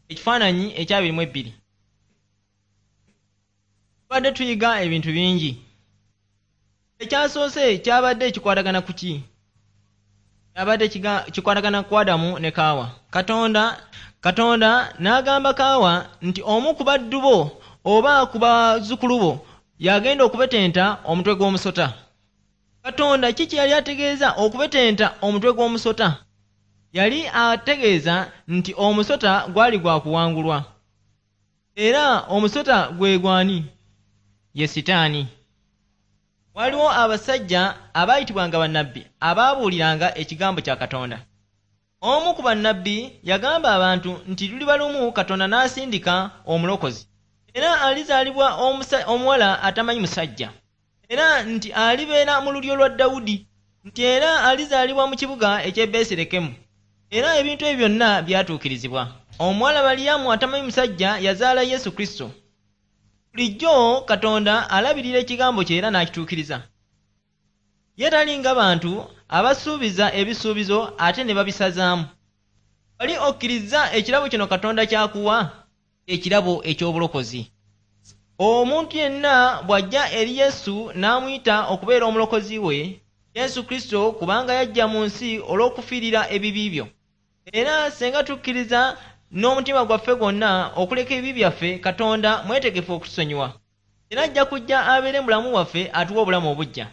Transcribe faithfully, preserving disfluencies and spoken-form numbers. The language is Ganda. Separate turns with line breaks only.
Ekifaananyi ekyabiri mu ebbiri. Tubadde tuyiga ebintu bingi. Ekyasoose kyabadde kikwatagana ku ki? Kyabadde kikwatagana ku Adamu ne Kaawa. Katonda Katonda n'agamba Kaawa nti omu ku baddu bo oba ku bazzukulu bo y'agenda okubetenta omutwe gw'omusota. Katonda ki kye yali ategeeza okubetenta omutwe gw'omusota? Yali ategeeza nti omusota gwali gwa kuwangulwa. Era omusota gwe gwani? Ye Sitaani. Waliwo abasajja abaayitibwanga bannabbi abaabuuliranga ekigambo kya Katonda. Omu ku bannabbi yagamba abantu nti luliba lumu Katonda n'asindika omulokozi. Era alizaalibwa omuwala atamanyi musajja. Era nti alibeera mu lulyo lwa Dawudi. Nti era alizaalibwa mu kibuga eky'e Besirekemu. Era ebintu ebyo byonna byatuukirizibwa. Omuwala Maliyamu atamanyi musajja yazaala Yesu Kristo. Bulijjo Katonda alabirira ekigambo kye era n'akituukiriza. Ye talinga bantu abasuubiza ebisuubizo ate ne babisazaamu. Wali okkirizza ekirabo kino Katonda ky'akuwa? Ekirabo eky'obulokozi. Omuntu yenna bw'ajja eri Yesu n'amuyita okubeera omulokozi we, Yesu Kristo kubanga yajja mu nsi olw'okufiirira ebibi byo. Era singa tukkiriza n'omutima gwaffe gwonna okuleka ebibi byaffe, Katonda mwetegefu okutusonyiwa. Era ajja kujja abeere mu bulamu bwaffe atuwe obulamu obuggya.